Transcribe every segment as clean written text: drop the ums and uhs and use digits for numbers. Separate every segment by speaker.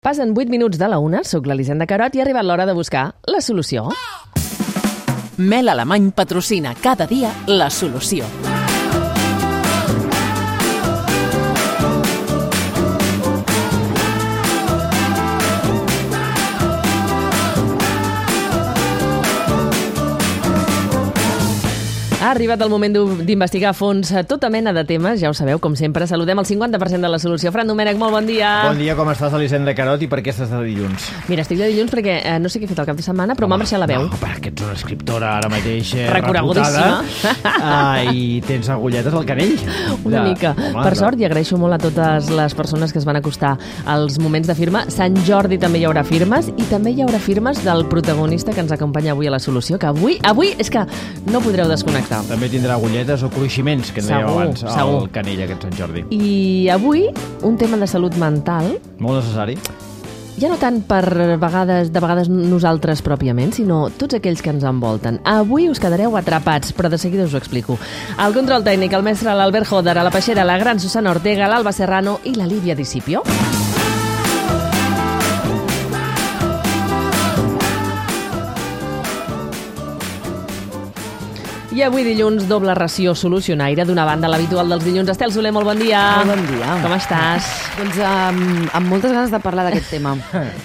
Speaker 1: Passen 8 minuts de la 1, soc l'Elisenda Carot i ha arribat l'hora de buscar la solució.
Speaker 2: Mel Alemany patrocina cada dia la solució.
Speaker 1: Ha arribat el moment d'investigar a fons tota mena de temes, ja ho sabeu, com sempre. Saludem el 50% de la solució. Fran Domènech, molt bon dia.
Speaker 3: Bon dia, com estàs, Elisenda Carot, i per què estàs de dilluns?
Speaker 1: Mira, estic de dilluns perquè no sé què he fet el cap de setmana, però m'ha marxat la veu.
Speaker 3: No, perquè ets una escriptora ara mateix
Speaker 1: recorregudíssima.
Speaker 3: I tens agulletes al canell.
Speaker 1: Una mica. Per sort, i agraeixo molt a totes les persones que es van acostar als moments de firma. Sant Jordi també hi haurà firmes, i també hi haurà firmes del protagonista que ens acompanya avui a la solució, que avui és que no podreu desconnectar.
Speaker 3: També tindrà agulletes o cruiximents, que en dèiem abans,
Speaker 1: segur.
Speaker 3: al canell aquest Sant Jordi.
Speaker 1: I avui, un tema de salut mental.
Speaker 3: Molt necessari.
Speaker 1: Ja no tant de vegades nosaltres pròpiament, sinó tots aquells que ens envolten. Avui us quedareu atrapats, però de seguida us ho explico. Al control tècnic, el mestre l'Albert Joder, a la peixera, la gran Susana Ortega, l'Alba Serrano i la Lídia Discipio. I avui dilluns, doble ració solucionaire. D'una banda, l'habitual dels dilluns. Estel Soler, molt bon dia.
Speaker 4: Molt bon dia.
Speaker 1: Com estàs?
Speaker 4: Doncs amb moltes ganes de parlar d'aquest tema.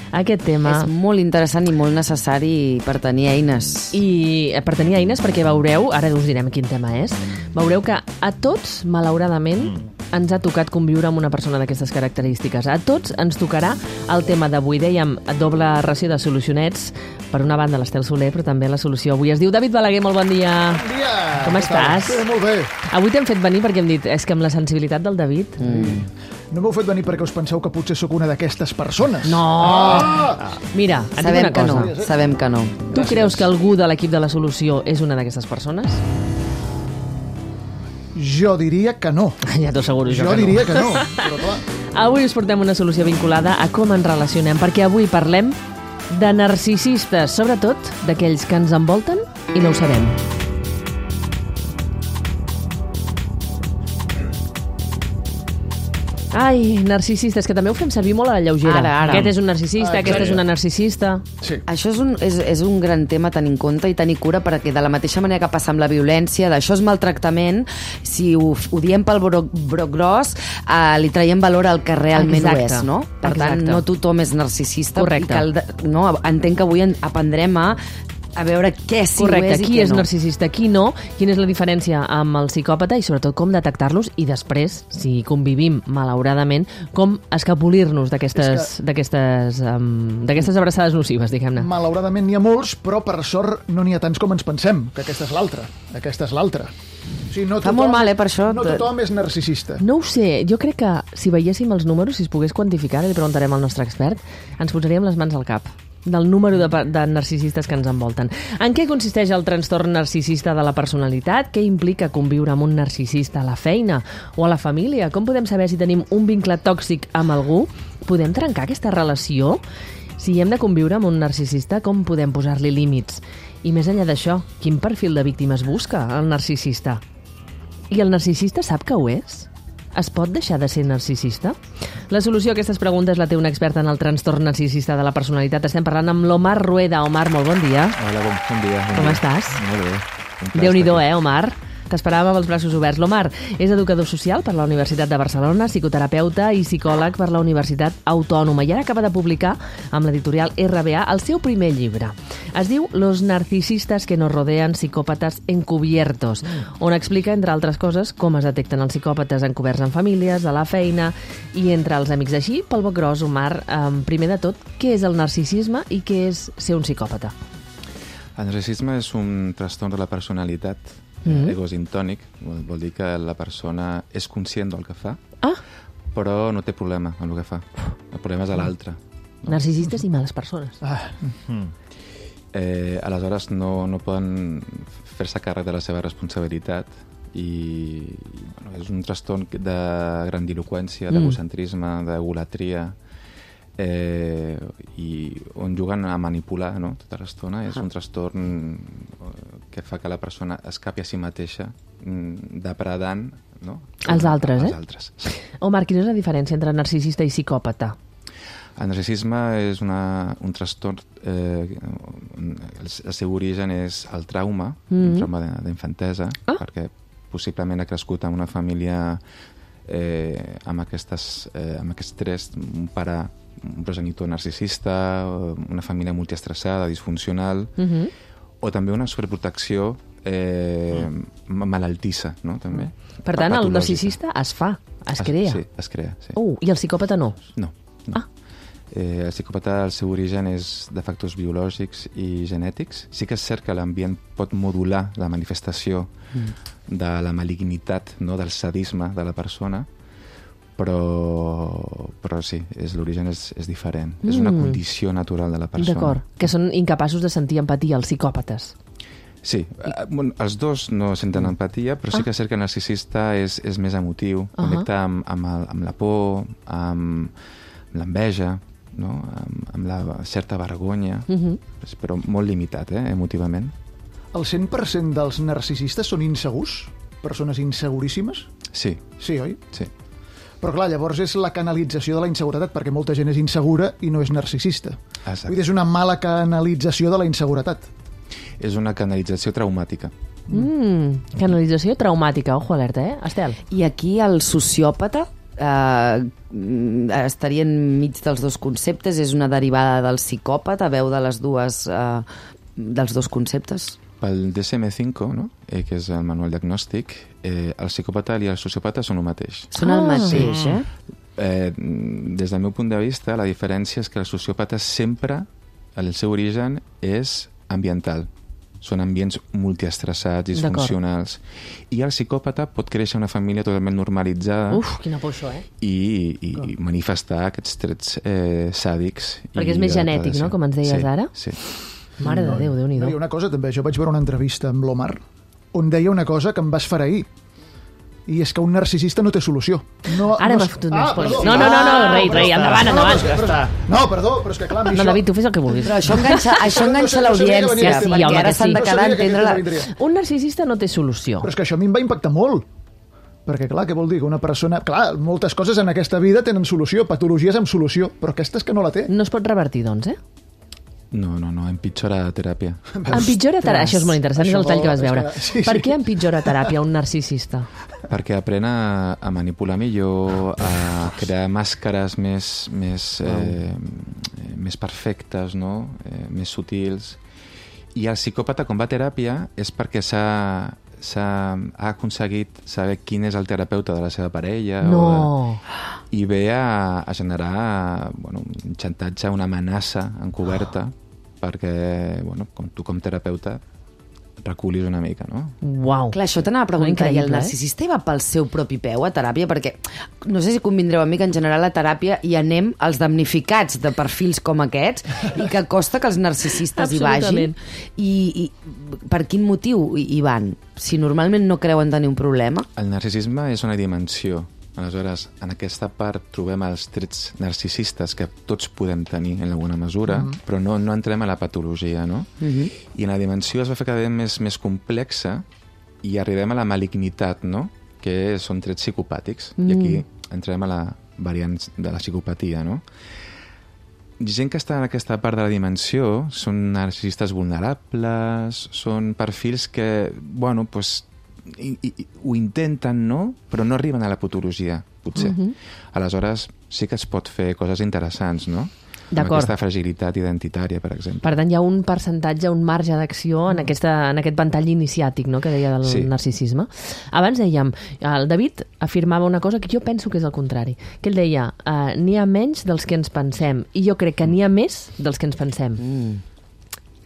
Speaker 1: Aquest tema...
Speaker 4: És molt interessant i molt necessari per tenir eines.
Speaker 1: I per tenir eines, perquè veureu, ara us direm quin tema és, veureu que a tots, malauradament, ens ha tocat conviure amb una persona d'aquestes característiques. A tots ens tocarà el tema d'avui. Dèiem doble ració de solucionets. Per una banda, l'Estel Soler, però també la solució avui es diu David Balaguer. Molt bon dia.
Speaker 5: Bon dia.
Speaker 1: Com estàs?
Speaker 5: Sí, molt bé.
Speaker 1: Avui t'hem fet venir perquè hem dit, és que amb la sensibilitat del David...
Speaker 5: No m'heu fet venir perquè us penseu que potser sóc una d'aquestes persones.
Speaker 1: No! Mira, et dic una cosa.
Speaker 4: Sabem que no.
Speaker 1: Tu creus que algú de l'equip de la solució és una d'aquestes persones?
Speaker 5: Jo diria que no.
Speaker 1: Ja t'ho asseguro jo
Speaker 5: Jo
Speaker 1: que
Speaker 5: diria que no, però clar.
Speaker 1: Avui us portem una solució vinculada a com ens relacionem, perquè avui parlem de narcisistes, sobretot d'aquells que ens envolten i no ho sabem. Ai, narcisistes, que també ho fem servir molt a la lleugera.
Speaker 4: Ara.
Speaker 1: Aquest és un narcisista, aquesta és una narcisista.
Speaker 5: Sí.
Speaker 4: Això és un gran tema a tenir en compte i tenir cura, perquè de la mateixa manera que passa amb la violència, d'això és maltractament, si ho diem pel broc gros, li traiem valor al que realment ho és, no? Per tant, no tothom és narcisista.
Speaker 1: Correcte.
Speaker 4: Entenc que avui aprendrem a veure què sí ho és i què no.
Speaker 1: Correcte, qui és narcisista, qui no, quina és la diferència amb el psicòpata i sobretot com detectar-los i després, si convivim malauradament, com escapolir-nos d'aquestes abraçades nocives, diguem-ne.
Speaker 5: Malauradament n'hi ha molts, però per sort no n'hi ha tants com ens pensem, que aquesta és l'altra. Aquesta és l'altra. O sigui, no
Speaker 4: Fa molt mal, per això.
Speaker 5: No tothom és narcisista.
Speaker 1: No ho sé, jo crec que si veiéssim els números, si es pogués quantificar, li preguntarem al nostre expert, ens posaríem les mans al cap del número de narcisistes que ens envolten. En què consisteix el trastorn narcisista de la personalitat? Què implica conviure amb un narcisista a la feina o a la família? Com podem saber si tenim un vincle tòxic amb algú? Podem trencar aquesta relació? Si hem de conviure amb un narcisista, com podem posar-li límits? I més enllà d'això, quin perfil de víctimes busca el narcisista? I el narcisista sap que ho és? Es pot deixar de ser narcisista? La solució a aquestes preguntes la té un expert en el trastorn narcisista de la personalitat. Estem parlant amb l'Omar Rueda. Omar, molt bon dia.
Speaker 6: Hola, bon dia.
Speaker 1: Com estàs?
Speaker 6: Molt bé.
Speaker 1: Déu-n'hi-do, Omar? T'esperàvem amb els braços oberts. L'Omar és educador social per la Universitat de Barcelona, psicoterapeuta i psicòleg per la Universitat Autònoma i ara acaba de publicar amb l'editorial RBA el seu primer llibre. Es diu Los narcisistas que nos rodean, psicòpates encubiertos, on explica, entre altres coses, com es detecten els psicòpates encoberts en famílies, a la feina i entre els amics. Així, pel boc gros, Omar, primer de tot, què és el narcisisme i què és ser un psicòpata?
Speaker 6: El narcisisme és un trastorn de la personalitat egosintònic, vol dir que la persona és conscient del que fa, però no té problema amb el que fa. El problema és a l'altre.
Speaker 1: No? Narcisistes i males persones.
Speaker 6: Aleshores no poden fer-se càrrec de la seva responsabilitat i és un trastorn de grandiloqüència, d'egocentrisme, d'egolatria, i on juguen a manipular, no? Tota l'estona. És un trastorn que fa que la persona escapi a si mateixa depredant, no?
Speaker 1: Els altres,
Speaker 6: Els altres, sí.
Speaker 1: Omar, quina és la diferència entre narcisista i psicòpata?
Speaker 6: El narcisisme és un trastorn, el seu origen és el trauma, un trauma d'infantesa, perquè possiblement ha crescut en una família amb aquests tres, un pare, un progenitor narcisista, una família multiestressada, disfuncional, o també una sobreprotecció malaltissa, no? També.
Speaker 1: Per tant, el narcisista es crea.
Speaker 6: Sí, es crea, sí.
Speaker 1: I el psicòpata no?
Speaker 6: No. El psicòpata, el seu origen és de factors biològics i genètics. Sí que és cert que l'ambient pot modular la manifestació de la malignitat, no? Del sadisme de la persona, però sí, l'origen és diferent. És una condició natural de la persona.
Speaker 1: D'acord, que són incapaços de sentir empatia, els psicòpates.
Speaker 6: Sí, els dos no senten empatia, però sí que és cert que el narcisista és més emotiu, connecta amb la por, amb l'enveja, no? Amb la certa vergonya, però molt limitat, emotivament.
Speaker 5: El 100% dels narcisistes són insegurs? Persones inseguríssimes?
Speaker 6: Sí.
Speaker 5: Sí, oi?
Speaker 6: Sí.
Speaker 5: Però clar, llavors és la canalització de la inseguretat, perquè molta gent és insegura i no és narcisista.
Speaker 6: Exacte.
Speaker 5: Vull dir, és una mala canalització de la inseguretat.
Speaker 6: És una canalització traumàtica.
Speaker 1: Canalització traumàtica, ojo alerta, Estel?
Speaker 4: I aquí el sociòpata estaria enmig dels dos conceptes, és una derivada del psicòpata, veu de les dues dels dos conceptes?
Speaker 6: Pel DSM-5, no? Que és el manual diagnòstic, el psicòpata i el sociòpata són el mateix.
Speaker 4: Són el mateix,
Speaker 6: Des del meu punt de vista, la diferència és que el sociòpata sempre, el seu origen, és ambiental. Són ambients multiestressats, disfuncionals. I el psicòpata pot créixer una família totalment normalitzada.
Speaker 1: Quina por això,
Speaker 6: i manifestar aquests trets sàdics.
Speaker 1: Perquè és més genètic, no?, com ens deies ara?
Speaker 6: Sí.
Speaker 1: Mare de Déu, Déu-n'hi-do.
Speaker 5: Hi ha una cosa també, jo vaig veure una entrevista amb l'Omar on deia una cosa que em va esfereir, i és que un narcisista no té solució.
Speaker 1: Ara m'ha fotut més por. No, rei, endavant.
Speaker 5: No, perdó, però és que clar...
Speaker 1: No, David, tu fes el que vulguis.
Speaker 4: Però això enganxa l'audiència, perquè ara s'han de quedar a entendre...
Speaker 1: Un narcisista no té solució.
Speaker 5: Però és que això a mi em va impactar molt. Perquè, clar, què vol dir? Que una persona... Clar, moltes coses en aquesta vida tenen solució, patologies amb solució, però aquesta és que no la té.
Speaker 1: No es pot revertir, doncs,
Speaker 6: No, empitjora teràpia.
Speaker 1: Empitjora teràpia? Això és molt interessant, és el tall que vas veure. Per què empitjora teràpia un narcisista?
Speaker 6: Perquè aprèn a manipular millor, a crear màscares més perfectes, no? Més sutils. I el psicòpata, quan va a teràpia, és perquè ha aconseguit saber quin és el terapeuta de la seva parella. I ve a generar un xantatge, una amenaça encoberta, perquè tu com terapeuta reculis una mica, no?
Speaker 4: Uau. Clar, això t'anava a preguntar, i el narcisista hi va pel seu propi peu a teràpia? Perquè no sé si convindreu amb mi que en general a teràpia hi anem els damnificats de perfils com aquests i que costa que els narcisistes hi vagin. I per quin motiu hi van? Si normalment no creuen tenir un problema?
Speaker 6: El narcisisme és una dimensió. Aleshores, en aquesta part trobem els trets narcisistes que tots podem tenir en alguna mesura, però no entrem a la patologia, no? I en la dimensió es va fer cada vegada més complexa i arribem a la malignitat, no? Que són trets psicopàtics. I aquí entrem a la variant de la psicopatia, no? Gent que està en aquesta part de la dimensió són narcisistes vulnerables, són perfils que, ho intenten, no? Però no arriben a la patologia, potser. Aleshores, sí que es pot fer coses interessants, no? Amb aquesta fragilitat identitària, per exemple.
Speaker 1: Per tant, hi ha un percentatge, un marge d'acció en aquest ventall iniciàtic, no?, que deia del narcisisme. Abans dèiem, el David afirmava una cosa que jo penso que és el contrari, que ell deia, n'hi ha menys dels que ens pensem, i jo crec que n'hi ha més dels que ens pensem.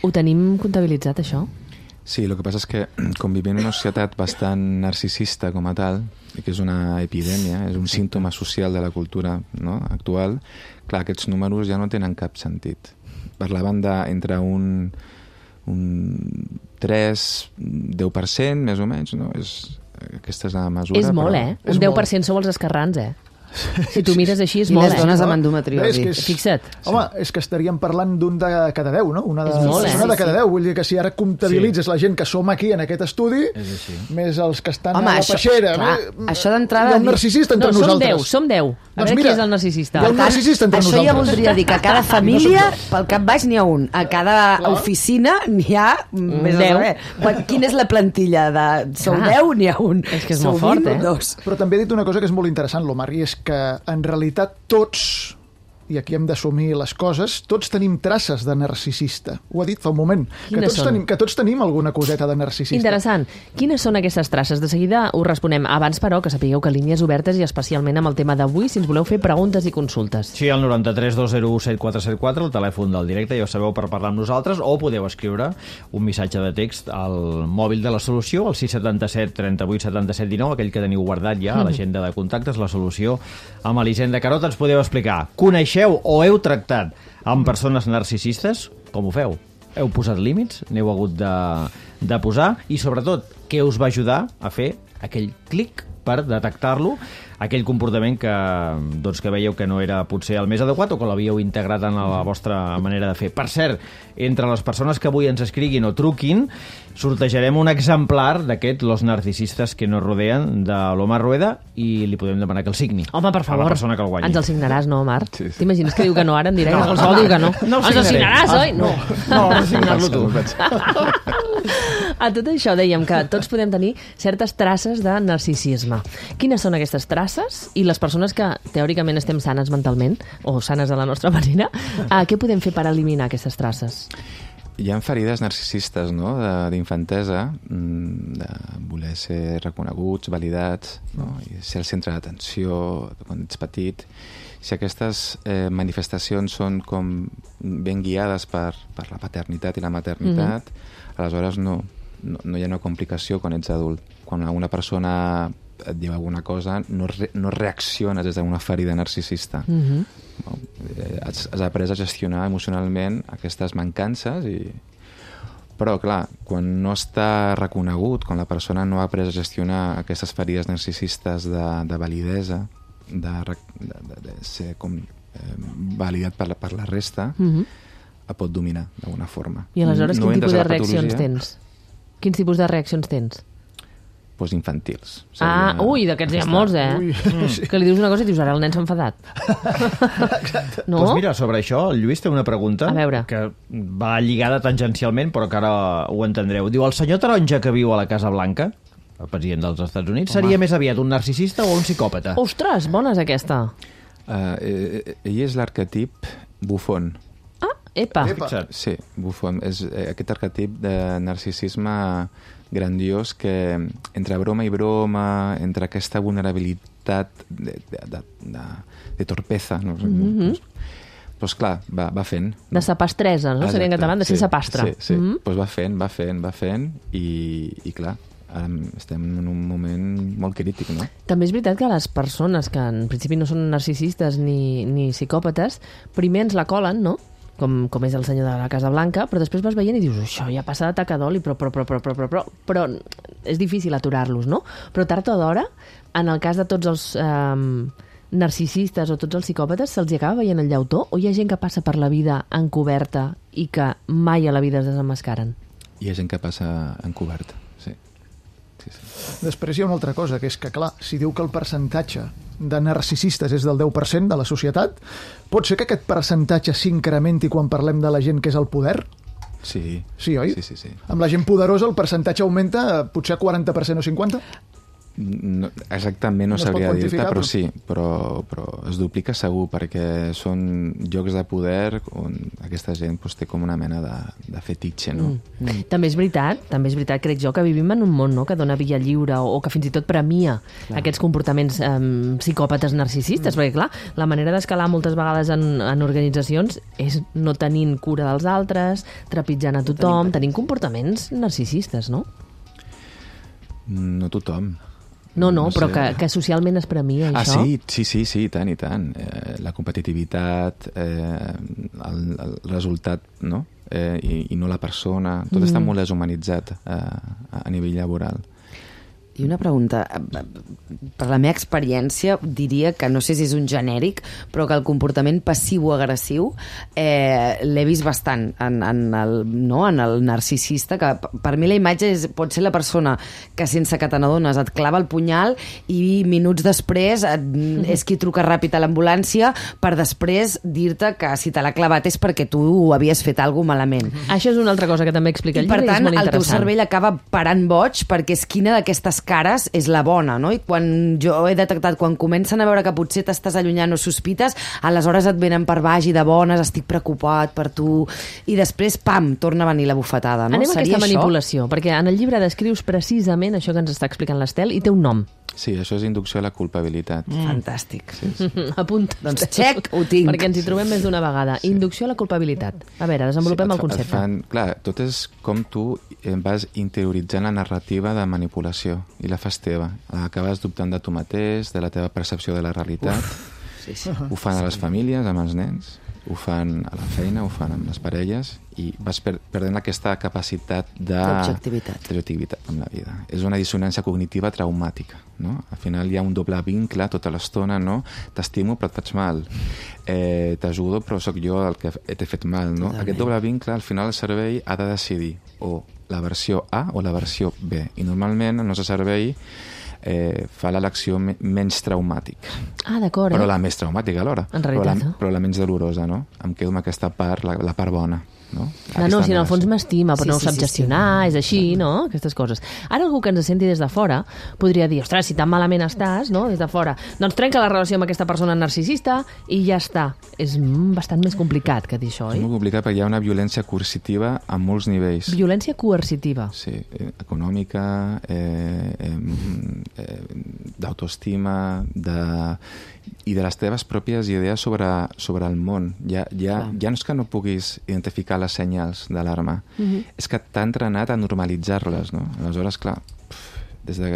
Speaker 1: Ho tenim comptabilitzat, això?
Speaker 6: Sí, el que passa és que com vivim en una societat bastant narcisista com a tal, que és una epidèmia, és un símptoma social de la cultura, no?, actual, clar, aquests números ja no tenen cap sentit. Parlaven d'entre un 3-10%, més o menys, no? Aquesta és la mesura.
Speaker 1: És molt, Un 10% sou els esquerrans, Si tu mires així és
Speaker 4: I
Speaker 1: molt,
Speaker 4: les dones amb endometriosi.
Speaker 1: Fixa't.
Speaker 5: Home, és que estaríem parlant d'un de cada 10, no? Una
Speaker 1: És molt,
Speaker 5: de cada 10. Vull dir que si ara comptabilitzes la gent que som aquí en aquest estudi, més els que estan a la peixera...
Speaker 4: Això d'entrada...
Speaker 5: Hi ha un narcisista entre nosaltres.
Speaker 1: Som 10. A veure qui és el narcisista.
Speaker 5: Hi ha un narcisista entre
Speaker 4: això
Speaker 5: nosaltres.
Speaker 4: ja voldria dir que a cada família, pel cap baix n'hi ha un. A cada oficina n'hi ha més a saber. Quina és la plantilla? Sou 10, n'hi ha un.
Speaker 1: És que és molt fort, eh?
Speaker 5: Però també he dit una cosa que és molt interessant, l'Omar, i és que en realitat tots, i aquí hem d'assumir les coses, tots tenim traces de narcisista. Ho ha dit fa un moment. Que tots tenim alguna coseta de narcisista.
Speaker 1: Interessant. Quines són aquestes traces? De seguida us responem. Abans, però, que sapigueu que línies obertes i especialment amb el tema d'avui, si ens voleu fer preguntes i consultes.
Speaker 3: Sí, al 93 201 7474, el telèfon del directe, ja ho sabeu, per parlar amb nosaltres, o podeu escriure un missatge de text al mòbil de la solució, al 677 38 77 19, aquell que teniu guardat ja a l'agenda de contactes, la solució amb Elisenda Carot. Ens podeu explicar. Coneixeu o heu tractat amb persones narcisistes? Com ho feu? Heu posat límits? N'heu hagut de posar? I sobretot, què us va ajudar a fer aquell clic per detectar-lo, aquell comportament que veieu que no era potser el més adequat o que l'havíeu integrat en la vostra manera de fer. Per cert, entre les persones que avui ens escriguin o truquin, sortejarem un exemplar d'aquest Los narcisistes que nos rodean, de l'Omar Rueda, i li podem demanar que el signi.
Speaker 1: Home, per favor,
Speaker 3: a la persona que el guanyi.
Speaker 1: ens el signaràs, no, Omar?
Speaker 6: Sí.
Speaker 1: T'imagines que diu que no ara en directe? No, qualsevol diu que no. Ens el signaràs, oi? No.
Speaker 3: No, signar-lo tu.
Speaker 1: A tot això dèiem que tots podem tenir certes traces de narcisisme. Quines són aquestes traces? I les persones que teòricament estem sanes mentalment, o sanes de la nostra manera, què podem fer per eliminar aquestes traces?
Speaker 6: Hi ha ferides narcisistes, no?, d'infantesa, de voler ser reconeguts, validats, no?, i ser el centre d'atenció quan ets petit. Si aquestes manifestacions són com ben guiades per la paternitat i la maternitat, aleshores no hi ha una complicació quan ets adult. Quan una persona et diu alguna cosa, no reacciones des d'una ferida narcisista. Has après a gestionar emocionalment aquestes mancances però, clar, quan no està reconegut, quan la persona no ha après a gestionar aquestes ferides narcisistes de validesa, de ser com validat per la resta, pot dominar d'alguna forma.
Speaker 1: I aleshores quin tipus de reaccions tens? Quins tipus de reaccions tens?
Speaker 6: Doncs infantils.
Speaker 1: Ui, d'aquests hi ha molts, Que li dius una cosa i dius, ara el nen s'ha enfadat. No?
Speaker 3: Doncs mira, sobre això, el Lluís té una pregunta que va lligada tangencialment, però que ara ho entendreu. Diu, el senyor taronja que viu a la Casa Blanca, el president dels Estats Units, seria més aviat un narcisista o un psicòpata?
Speaker 1: Ostres, bona és aquesta.
Speaker 6: Ell és l'arquetip bufón.
Speaker 1: Epa.
Speaker 6: Sí, bufón. És aquest arquetip de narcisisme grandiós que entre broma i broma, entre aquesta vulnerabilitat de torpesa, no sé, doncs clar, va fent.
Speaker 1: De sapastresa, no? Seria en català, de ser sapastre.
Speaker 6: Sí. Doncs va fent, i clar, ara estem en un moment molt crític, no?
Speaker 1: També és veritat que les persones que en principi no són narcisistes ni psicòpates, primer ens la colen, no?, com és el senyor de la Casa Blanca, però després vas veient i dius, això ja passa de taca d'oli, però és difícil aturar-los, no? Però tard o d'hora, en el cas de tots els narcisistes o tots els psicòpates, se'ls acaba veient el llautó, o hi ha gent que passa per la vida encoberta i que mai a la vida es desemmascaren?
Speaker 6: Hi ha gent que passa encoberta, sí.
Speaker 5: Després hi ha una altra cosa, que és que, clar, si diu que el percentatge de narcisistes és del 10% de la societat, pot ser que aquest percentatge s'incrementi quan parlem de la gent que és al poder?
Speaker 6: Sí.
Speaker 5: Sí, oi?
Speaker 6: Sí.
Speaker 5: Amb la gent poderosa el percentatge augmenta potser a 40% o 50%?
Speaker 6: No, exactament no sabria dir-te, però sí, però es duplica segur, perquè són llocs de poder on aquesta gent té com una mena de fetitxe, no?
Speaker 1: També és veritat, crec jo, que vivim en un món, no?, que dona via lliure o que fins i tot premia aquests comportaments psicòpates narcisistes, perquè clar, la manera d'escalar moltes vegades en organitzacions és no tenint cura dels altres, trepitjant a tothom, tenint comportaments narcisistes, no?
Speaker 6: No tothom.
Speaker 1: No, però que socialment es premia, això.
Speaker 6: Sí, i tant. La competitivitat, el resultat, no? I no la persona. Tot està molt deshumanitzat a nivell laboral.
Speaker 4: I una pregunta, per la meva experiència diria que, no sé si és un genèric, però que el comportament passiu-agressiu l'he vist bastant en el narcisista, que per mi la imatge pot ser la persona que sense que te n'adones et clava el punyal i minuts després és qui truca ràpid a l'ambulància per després dir-te que si te l'ha clavat és perquè tu havies fet alguna cosa malament.
Speaker 1: Això és una altra cosa que també explica el llibre i és molt interessant.
Speaker 4: Per tant, el teu cervell acaba parant boig perquè és quina d'aquestes cares és la bona, no? I quan jo he detectat, quan comencen a veure que potser t'estàs allunyant o sospites, aleshores et venen per baix i de bones, estic preocupat per tu, i després, pam, torna a venir la bufetada, no?
Speaker 1: Anem a aquesta manipulació, perquè en el llibre descrius precisament això que ens està explicant l'Estel i té un nom.
Speaker 6: Sí, això és inducció a la culpabilitat.
Speaker 4: Fantàstic.
Speaker 6: Sí.
Speaker 1: Apunta.
Speaker 4: Doncs check, ho tinc.
Speaker 1: Perquè ens hi trobem més d'una vegada. Sí. Inducció a la culpabilitat. A veure, desenvolupem el concepte.
Speaker 6: Clar, tot és com tu vas interioritzant la narrativa de manipulació i la fas teva. Acabes dubtant de tu mateix, de la teva percepció de la realitat.
Speaker 4: Sí.
Speaker 6: Ho fan a les famílies, amb els nens, ho fan a la feina, ho fan amb les parelles, i vas perdent aquesta capacitat d'objectivitat en la vida. És una dissonància cognitiva traumàtica, no? Al final hi ha un doble vincle tota l'estona, no? T'estimo però et faig mal, t'ajudo però sóc jo el que t'he fet mal, no? Aquest doble vincle, al final el cervell ha de decidir o la versió A o la versió B, i normalment el nostre cervell fa l'elecció menys traumàtica.
Speaker 1: Ah, d'acord.
Speaker 6: Però la més traumàtica alhora.
Speaker 1: En realitat.
Speaker 6: Però la menys dolorosa, no? Em quedo amb aquesta part, la part bona. No?
Speaker 1: No, si en el fons m'estima, però no ho sap gestionar, és així, no? Aquestes coses. Ara algú que ens senti des de fora podria dir, ostres, si tan malament estàs, no? Des de fora, doncs trenca la relació amb aquesta persona narcisista i ja està. És bastant més complicat que dir això, oi?
Speaker 6: És molt complicat perquè hi ha una violència coercitiva a molts nivells.
Speaker 1: Violència coercitiva.
Speaker 6: Sí, econòmica, d'autoestima, i de les teves pròpies idees sobre el món. Ja no és que no puguis identificar les senyals d'alarma, és que t'ha entrenat a normalitzar-les, no? Aleshores, clar, des de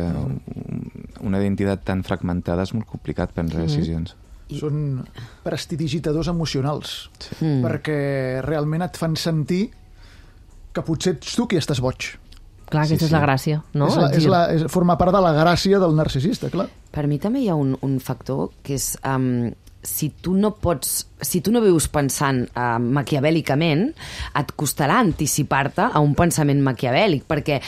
Speaker 6: una identitat tan fragmentada és molt complicat prendre decisions.
Speaker 5: Són prestidigitadors emocionals, perquè realment et fan sentir que potser ets tu qui estàs boig.
Speaker 1: Clar, aquesta és la gràcia, no?
Speaker 5: Forma part de la gràcia del narcisista, clar.
Speaker 4: Per mi també hi ha un factor que és si tu no vius pensant maquiavèlicament, et costarà anticipar-te a un pensament maquiavèlic, perquè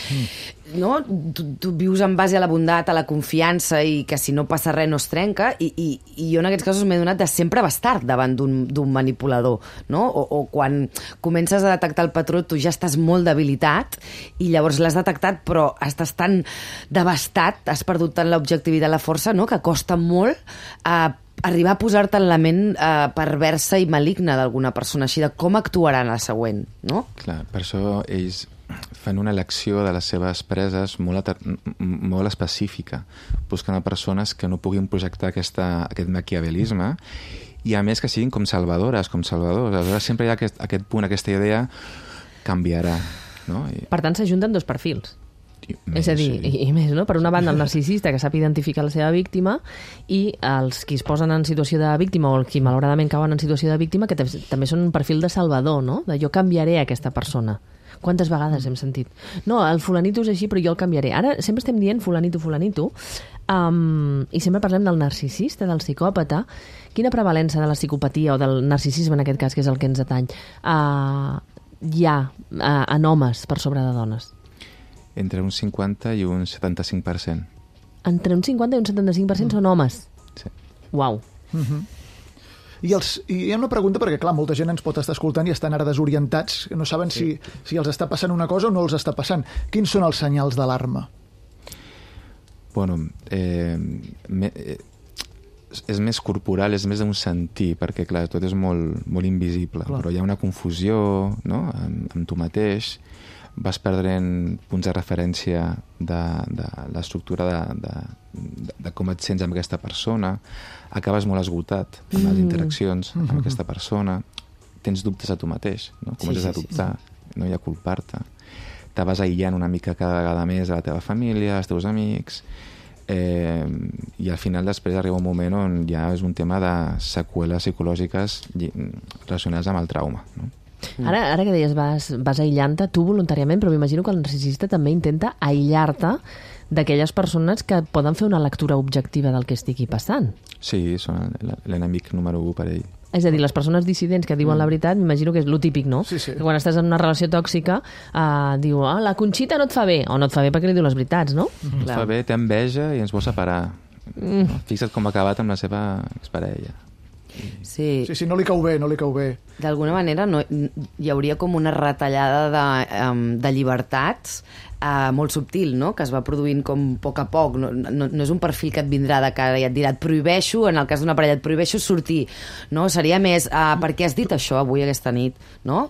Speaker 4: no? Tu vius en base a la bondat, a la confiança, i que si no passa res no es trenca, i jo en aquests casos m'he donat de sempre bastar davant d'un manipulador, no? O quan comences a detectar el patró, tu ja estàs molt debilitat i llavors l'has detectat però estàs tan devastat, has perdut tant l'objectivitat, la força, no? Que costa molt arribar a posar-te en la ment perversa i maligna d'alguna persona, així de com actuarà en la següent, no?
Speaker 6: Clar, per això ells fan una elecció de les seves preses molt específica, buscant a persones que no puguin projectar aquest maquiavelisme, i a més que siguin com salvadores, com salvadors. Aleshores sempre hi ha aquest punt, aquesta idea canviarà, no?
Speaker 1: Per tant, s'ajunten dos perfils. És a dir, i més, no? Per una banda el narcisista que sap identificar la seva víctima, i els qui es posen en situació de víctima o els qui malauradament cauen en situació de víctima, que també són un perfil de salvador, no? De jo canviaré aquesta persona. Quantes vegades hem sentit? No, el fulanito és així, però jo el canviaré. Ara sempre estem dient fulanito, i sempre parlem del narcisista, del psicòpata. Quina prevalença de la psicopatia o del narcisisme, en aquest cas, que és el que ens atany, hi ha en homes per sobre de dones?
Speaker 6: Entre un 50 i un 75%.
Speaker 1: Entre un 50 i un 75% són homes?
Speaker 6: Sí.
Speaker 1: Uau.
Speaker 5: I hi ha una pregunta, perquè clar, molta gent ens pot estar escoltant i estan ara desorientats, no saben si els està passant una cosa o no els està passant. Quins són els senyals d'alarma?
Speaker 6: Bueno, és més corporal, és més d'un sentir, perquè clar, tot és molt invisible, però hi ha una confusió, no? amb tu mateix, vas perdent punts de referència de l'estructura de com et sents amb aquesta persona, acabes molt esgotat amb les interaccions amb aquesta persona, tens dubtes a tu mateix, no? Comences a dubtar, no hi ha culpar-te, te vas aïllant una mica cada vegada més de la teva família, els teus amics, i al final després arriba un moment on ja és un tema de seqüeles psicològiques relacionades amb el trauma, no?
Speaker 1: Ara que deies vas aïllant-te, tu voluntàriament, però m'imagino que el narcisista també intenta aïllar-te d'aquelles persones que poden fer una lectura objectiva del que estigui passant.
Speaker 6: Sí, són l'enemic número 1 per ell.
Speaker 1: És a dir, les persones dissidents que diuen la veritat, m'imagino que és lo típic, no?
Speaker 5: Sí.
Speaker 1: Que quan estàs en una relació tòxica, diu, la Conxita no et fa bé, o no et fa bé perquè li diu les veritats, no?
Speaker 6: Et fa bé, té enveja i ens vol separar. Fixa't com ha acabat amb la seva exparella.
Speaker 4: Sí,
Speaker 5: no li cau bé, no li cau bé.
Speaker 4: D'alguna manera hi hauria com una retallada de llibertats molt subtil, no? Que es va produint com a poc a poc. No és un perfil que et vindrà de cara i et dirà et prohibeixo, en el cas d'una parella et prohibeixo sortir, no? Seria més per què has dit això avui aquesta nit, no?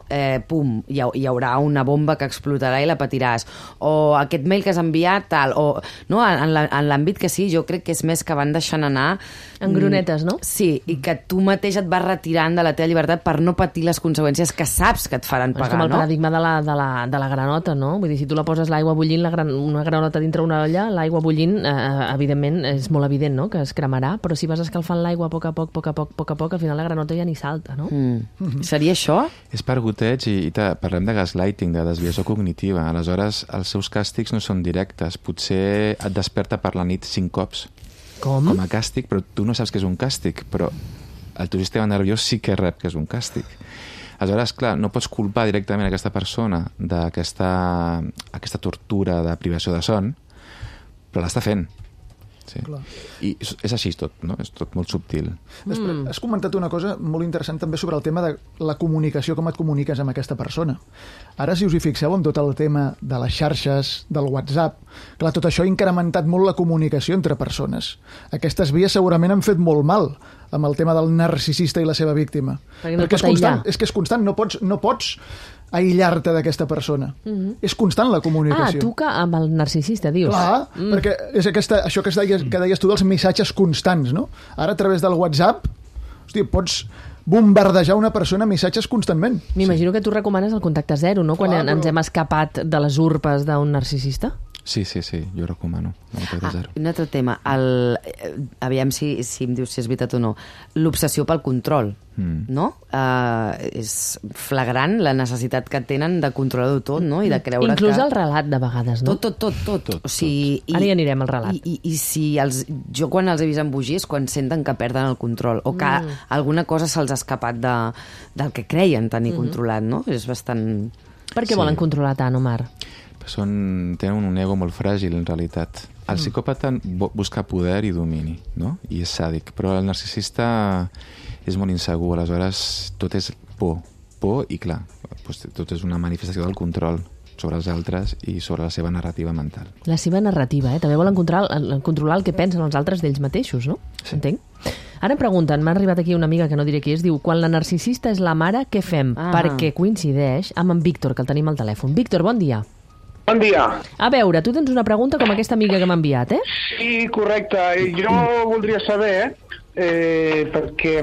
Speaker 4: Pum, hi haurà una bomba que explotarà i la patiràs, o aquest mail que has enviat tal, o no? En l'àmbit que sí, jo crec que és més que van deixant anar
Speaker 1: en gronetes, no?
Speaker 4: Sí, i que tu mateix et vas retirant de la teva llibertat per no patir les conseqüències que saps que et faran pagar, no?
Speaker 1: És com el paradigma de la granota, no? Vull dir, si tu la poses l'aigua bullint, una granota dintre una olla, l'aigua bullint, evidentment, és molt evident, no?, que es cremarà, però si vas escalfant l'aigua a poc a poc, al final la granota ja ni salta, no?
Speaker 4: Seria això?
Speaker 6: És per goteig i parlem de gaslighting, de desviació cognitiva. Aleshores, els seus càstigs no són directes. Potser et desperta per la nit 5 cops.
Speaker 1: Com
Speaker 6: a càstig, però tu no saps que és un càstig, però el teu sistema nerviós sí que rep que és un càstig. Aleshores, clar, no pots culpar directament aquesta persona d'aquesta tortura de privació de son, però l'està fent. Sí. I és així tot, no? És tot molt subtil.
Speaker 5: Després, has comentat una cosa molt interessant també sobre el tema de la comunicació, com et comuniques amb aquesta persona. Ara, si us hi fixeu, amb tot el tema de les xarxes, del WhatsApp, clar, tot això ha incrementat molt la comunicació entre persones. Aquestes vies segurament han fet molt mal amb el tema del narcisista i la seva víctima. Perquè és constant, és que és constant, no pots aïllar-te d'aquesta persona. És constant la comunicació.
Speaker 1: Tu que amb el narcisista, dius.
Speaker 5: Clar, perquè és això que deies tu dels missatges constants, no? Ara, a través del WhatsApp, hòstia, pots bombardejar una persona amb missatges constantment.
Speaker 1: M'imagino que tu recomanes el contacte zero, no? Quan ens hem escapat de les urpes d'un narcisista.
Speaker 6: Sí, jo recomano.
Speaker 4: Un altre tema, aviam si em dius si és veritat o no, l'obsessió pel control, no? És flagrant la necessitat que tenen de controlar-ho tot, no? I de creure
Speaker 1: inclús el relat, de vegades, no?
Speaker 4: Tot. O sigui,
Speaker 1: ara hi anirem al relat.
Speaker 4: I si jo quan els he vist embogir és quan senten que perden el control o que alguna cosa se'ls ha escapat del que creien tenir controlat, no? És bastant...
Speaker 1: Per què volen controlar tant, Omar?
Speaker 6: Tenen un ego molt fràgil, en realitat. El psicòpata busca poder i domini, no? I és sàdic. Però el narcisista és molt insegur. Aleshores, tot és por i, clar, tot és una manifestació del control sobre els altres i sobre la seva narrativa mental.
Speaker 1: La seva narrativa, També volen controlar el que pensen els altres d'ells mateixos, no?
Speaker 6: Sí.
Speaker 1: Entenc? Ara em pregunten, m'ha arribat aquí una amiga que no diré qui és, diu, quan la narcisista és la mare, què fem? Perquè coincideix amb en Víctor, que el tenim al telèfon. Víctor, bon dia.
Speaker 7: Bon dia.
Speaker 1: A veure, tu tens una pregunta com aquesta amiga que m'ha enviat,
Speaker 7: Sí, correcte. Jo voldria saber, perquè,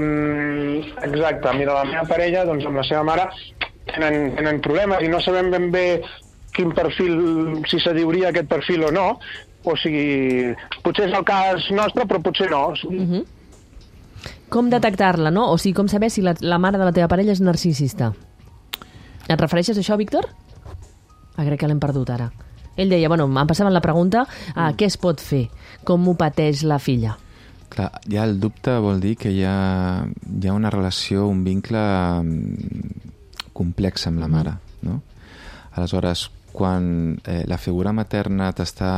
Speaker 7: exacte, mira, la meva parella, doncs amb la seva mare, tenen problemes i no sabem ben bé quin perfil, si s'adiuria aquest perfil o no, o sigui, potser és el cas nostre, però potser no.
Speaker 1: Com detectar-la, no? O sigui, com saber si la mare de la teva parella és narcisista? Et refereixes a això, Víctor? Crec que l'hem perdut ara. Ell deia, em passaven la pregunta, què es pot fer? Com ho pateix la filla?
Speaker 6: Clar, ja el dubte vol dir que hi ha una relació, un vincle complex amb la mare, no? Aleshores, quan la figura materna t'està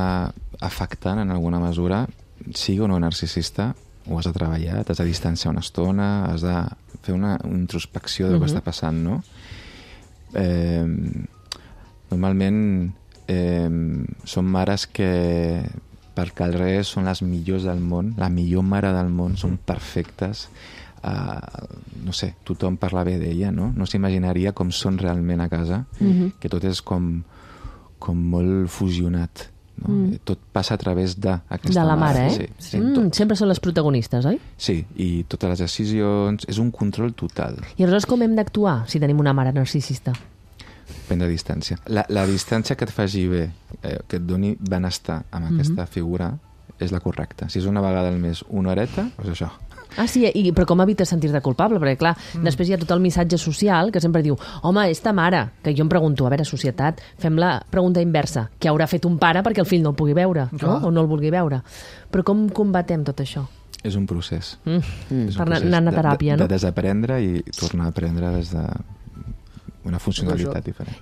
Speaker 6: afectant en alguna mesura, sigui o no narcisista, ho has de treballar, t'has de distanciar una estona, has de fer una introspecció del que està passant, no? Normalment són mares que per carrer són les millors del món, la millor mare del món, són perfectes, no sé, tothom parla bé d'ella, no? No s'imaginaria com són realment a casa, que tot és com molt fusionat, no? Tot passa a través d'aquesta
Speaker 1: de la mare,
Speaker 6: Sí,
Speaker 1: sempre són les protagonistes, oi?
Speaker 6: Sí, i totes les decisions, és un control total.
Speaker 1: I aleshores com hem d'actuar si tenim una mare narcisista?
Speaker 6: Prendre distància. La distància que et faci bé, que et doni benestar amb aquesta figura, és la correcta. Si és una vegada al mes una horeta, doncs això.
Speaker 1: Ah, sí, però com evites sentir-te culpable? Perquè, clar, després hi ha tot el missatge social que sempre diu, home, és ta mare, que jo em pregunto, a veure, societat, fem la pregunta inversa, què haurà fet un pare perquè el fill no el pugui veure, no? O no el vulgui veure? Però com combatem tot això?
Speaker 6: És un procés.
Speaker 1: És un procés anar a teràpia, no?
Speaker 6: De desaprendre i tornar a aprendre des de una funcionalitat diferent.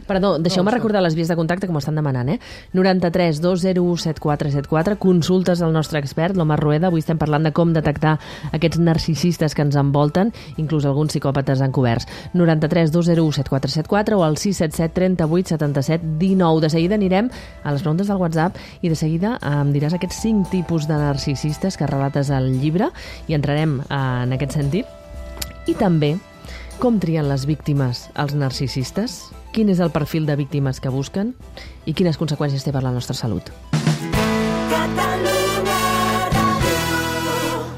Speaker 1: Perdó, deixeu-me recordar les vies de contacte que m'ho estan demanant, 93 201 7474, consultes al nostre expert, l'Omar Rueda. Avui estem parlant de com detectar aquests narcisistes que ens envolten, inclús alguns psicòpates encoberts. 93 201 7474 o al 677 38 77 19. De seguida anirem a les preguntes del WhatsApp i de seguida em diràs aquests 5 tipus de narcisistes que relates al llibre i entrarem en aquest sentit. I també com trien les víctimes els narcisistes? Quin és el perfil de víctimes que busquen? I quines conseqüències té per la nostra salut?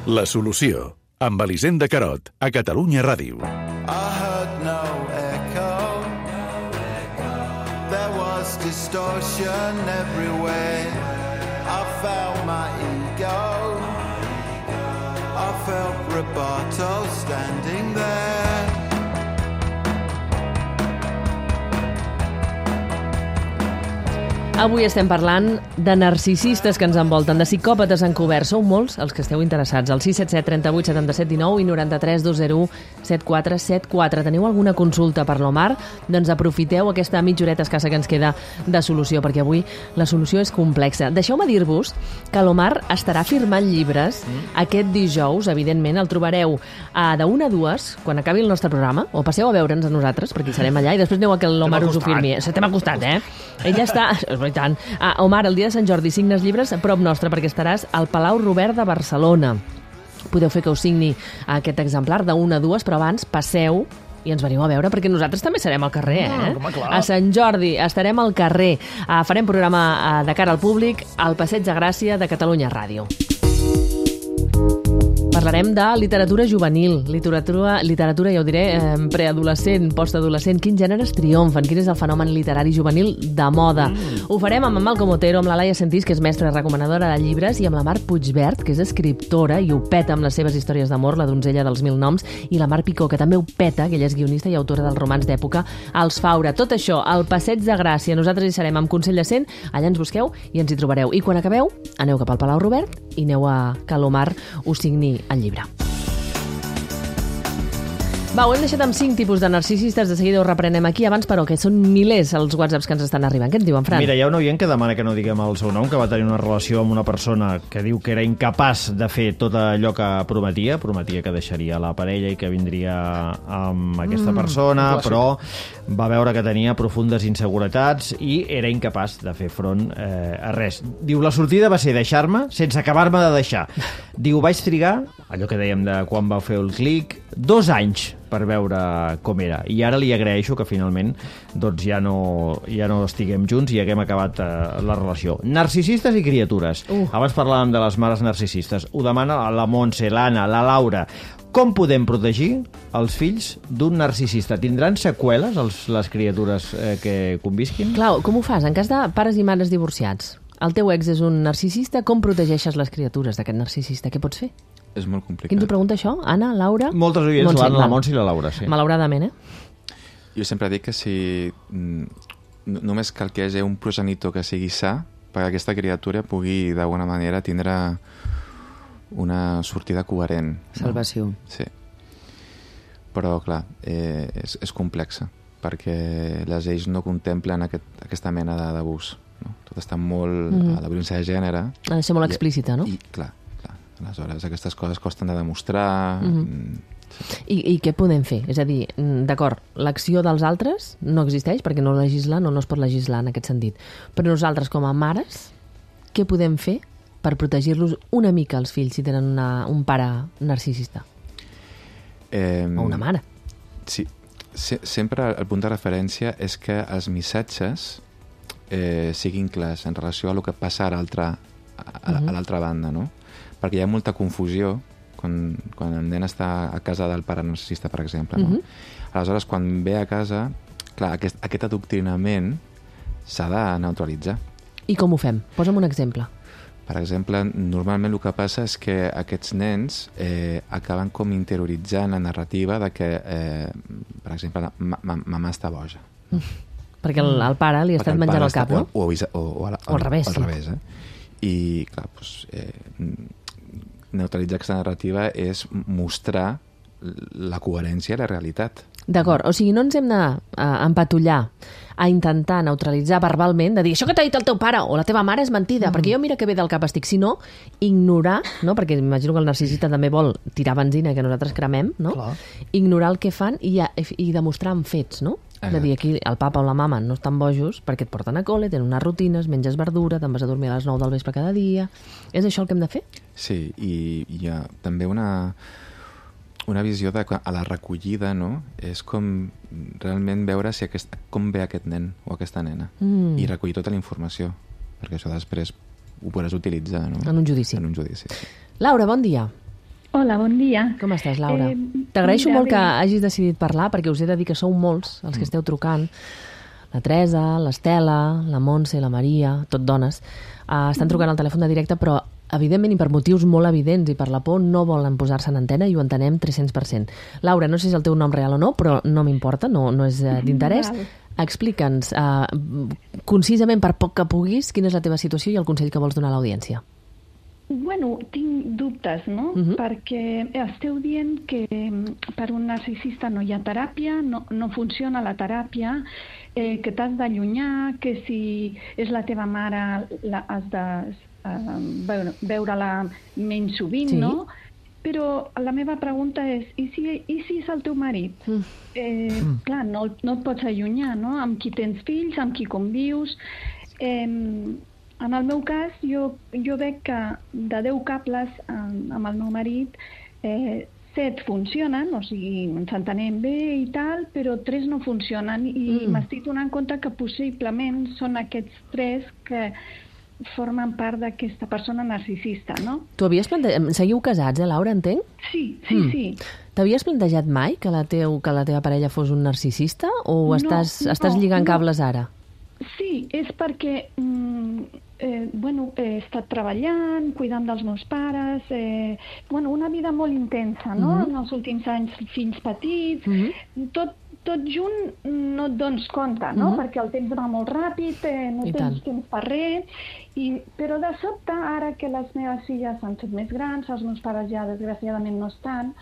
Speaker 8: La solució, amb Elisenda Carot, a Catalunya Ràdio.
Speaker 9: I heard no echo. There was distortion everywhere. I felt my ego. I felt Roberto standing there.
Speaker 1: Avui estem parlant de narcisistes que ens envolten, de psicòpates encoberts. Sou molts els que esteu interessats. Al 677 38 77 19 i 93 201 7474. Teniu alguna consulta per l'Omar? Doncs aprofiteu aquesta mitja horeta escassa que ens queda de solució, perquè avui la solució és complexa. Deixeu-me dir-vos que l'Omar estarà firmant llibres aquest dijous. Evidentment, el trobareu de 1 a 2, quan acabi el nostre programa, o passeu a veure'ns a nosaltres, perquè hi serem allà, i després aneu a que l'Omar us ho firmi. T'hem acostat, Ella està... tant. Omar, el dia de Sant Jordi signes llibres a prop nostre, perquè estaràs al Palau Robert de Barcelona. Podeu fer que us signi aquest exemplar de 1 a 2, però abans passeu i ens veniu a veure, perquè nosaltres també serem al carrer, A Sant Jordi estarem al carrer. Farem programa de cara al públic al Passeig de Gràcia de Catalunya Ràdio. Parlarem de literatura juvenil, literatura, ja ho diré, preadolescent, postadolescent. Quins gèneres triomfen? Quin és el fenomen literari juvenil de moda? Ho farem amb en Malcom Otero, amb la Laia Sentís, que és mestra recomanadora de llibres, i amb la Mar Puigbert, que és escriptora i ho peta amb les seves històries d'amor, La donzella dels 1000 noms, i la Mar Picó, que també ho peta, que ella és guionista i autora dels romans d'època, Els Faura. Tot això al Passeig de Gràcia. Nosaltres hi serem amb Consell de Cent, allà ens busqueu i ens hi trobareu. I quan acabeu, aneu cap al Palau Robert i aneu a que l'Omar us signi el llibre. Va, ho hem deixat amb 5 tipus de narcisistes, de seguida ho reprenem aquí. Abans, però, que són milers els whatsapps que ens estan arribant. Què et diuen, Fran?
Speaker 3: Mira, hi ha un oient que demana que no diguem el seu nom, que va tenir una relació amb una persona que diu que era incapaç de fer tot allò que prometia que deixaria la parella i que vindria amb aquesta persona, però va veure que tenia profundes inseguretats i era incapaç de fer front a res. Diu, la sortida va ser deixar-me sense acabar-me de deixar. Diu, vaig trigar, allò que dèiem de quan va fer el clic, 2 anys per veure com era. I ara li agraeixo que finalment doncs ja no estiguem junts i haguem acabat la relació. Narcisistes i criatures. Abans parlàvem de les mares narcisistes. Ho demana la Montse, l'Anna, la Laura. Com podem protegir els fills d'un narcisista? Tindran seqüeles les criatures que convisquin?
Speaker 1: Clar, com ho fas? En cas de pares i mares divorciats, el teu ex és un narcisista, com protegeixes les criatures d'aquest narcisista? Què pots fer?
Speaker 6: És molt complicat.
Speaker 1: Qui ens ho pregunta això? Anna, Laura?
Speaker 3: Moltes oients, l'Anna, la Montse i la Laura, sí.
Speaker 1: Malauradament,
Speaker 6: Jo sempre dic que si només cal que hi hagi un progenitor que sigui sa perquè aquesta criatura pugui d'alguna manera tindre una sortida coherent.
Speaker 4: Salvació.
Speaker 6: No? Sí. Però, clar, és complexa perquè les lleis no contemplen aquesta mena d'abús. No? Tot està molt... La violència de gènere...
Speaker 1: Ha de ser molt explícita, no?
Speaker 6: I, clar. Aleshores, aquestes coses costen de demostrar...
Speaker 1: I què podem fer? És a dir, d'acord, l'acció dels altres no existeix perquè no legislen o no es pot legislar en aquest sentit. Però nosaltres, com a mares, què podem fer per protegir-los una mica els fills si tenen un pare narcisista? O una mare.
Speaker 6: Sí. Sempre el punt de referència és que els missatges siguin clars en relació a el que passa a l'altra banda, no? Perquè hi ha molta confusió quan el nen està a casa del pare narcisista, per exemple. No? Aleshores, quan ve a casa, clar, aquest adoctrinament s'ha de neutralitzar.
Speaker 1: I com ho fem? Posa'm un exemple.
Speaker 6: Per exemple, normalment el que passa és que aquests nens acaben com interioritzant la narrativa de que, per exemple, mamà està boja.
Speaker 1: Perquè el pare li ha estat menjant el cap, no?
Speaker 6: O al revés. Al revés, I, clar, neutralitzar aquesta narrativa és mostrar la coherència i la realitat.
Speaker 1: D'acord, o sigui, no ens hem d'empatollar a intentar neutralitzar verbalment, de dir això que t'ha dit el teu pare o la teva mare és mentida, perquè jo mira que bé del cap estic, sinó ignorar, no? Perquè m'imagino que el narcisista també vol tirar benzina que nosaltres cremem, no?
Speaker 5: Clar.
Speaker 1: Ignorar el que fan i demostrar amb fets, no? De dir, aquí el papa o la mama no estan bojos perquè et porten a col·le, tenen unes rutines, menges verdura, te'n vas a dormir a les 9 del vespre cada dia. És això el que hem de fer?
Speaker 6: Sí, i hi ha també una visió de a la recollida, no? És com realment veure com ve aquest nen o aquesta nena i recollir tota la informació, perquè això després ho podràs utilitzar, no?
Speaker 1: En un judici.
Speaker 6: En un judici, sí.
Speaker 1: Laura, bon dia.
Speaker 10: Hola, bon dia.
Speaker 1: Com estàs, Laura? T'agraeixo molt que hagis decidit parlar, perquè us he de dir que sou molts els que esteu trucant. La Teresa, l'Estela, la Montse, la Maria, tot dones, estan trucant al telèfon de directe, però evidentment i per motius molt evidents i per la por no volen posar-se en antena i ho entenem 300%. Laura, no sé si és el teu nom real o no, però no m'importa, no és d'interès. Explica'ns, concisament, per poc que puguis, quina és la teva situació i el consell que vols donar a l'audiència.
Speaker 10: Bueno, tinc dubtes, no? Perquè esteu dient que per un narcisista no hi ha teràpia, no funciona la teràpia, que t'has d'allunyar, que si és la teva mare has de veure-la menys sovint, no? Però la meva pregunta és, i si és el teu marit? Clar, no et pots allunyar, no? Amb qui tens fills, amb qui convius. En el meu cas, jo veig que de 10 cables amb el meu marit, 7 funcionen, o sigui, ens entenem bé i tal, però 3 no funcionen i m'estic donant compte que possiblement són aquests 3 que formen part d'aquesta persona narcisista, no?
Speaker 1: Tu havies plantejat... Seguiu casats, Laura, entenc?
Speaker 10: Sí.
Speaker 1: T'havies plantejat mai que la teva parella fos un narcisista o estàs lligant cables ara?
Speaker 10: Sí, és perquè he estat treballant, cuidant dels meus pares, una vida molt intensa, no? En els últims anys, fills petits, tot junt no et dones compte, no? Perquè el temps va molt ràpid, no tens temps per res, però de sobte, ara que les meves filles han estat més grans, els meus pares ja desgraciadament no estan,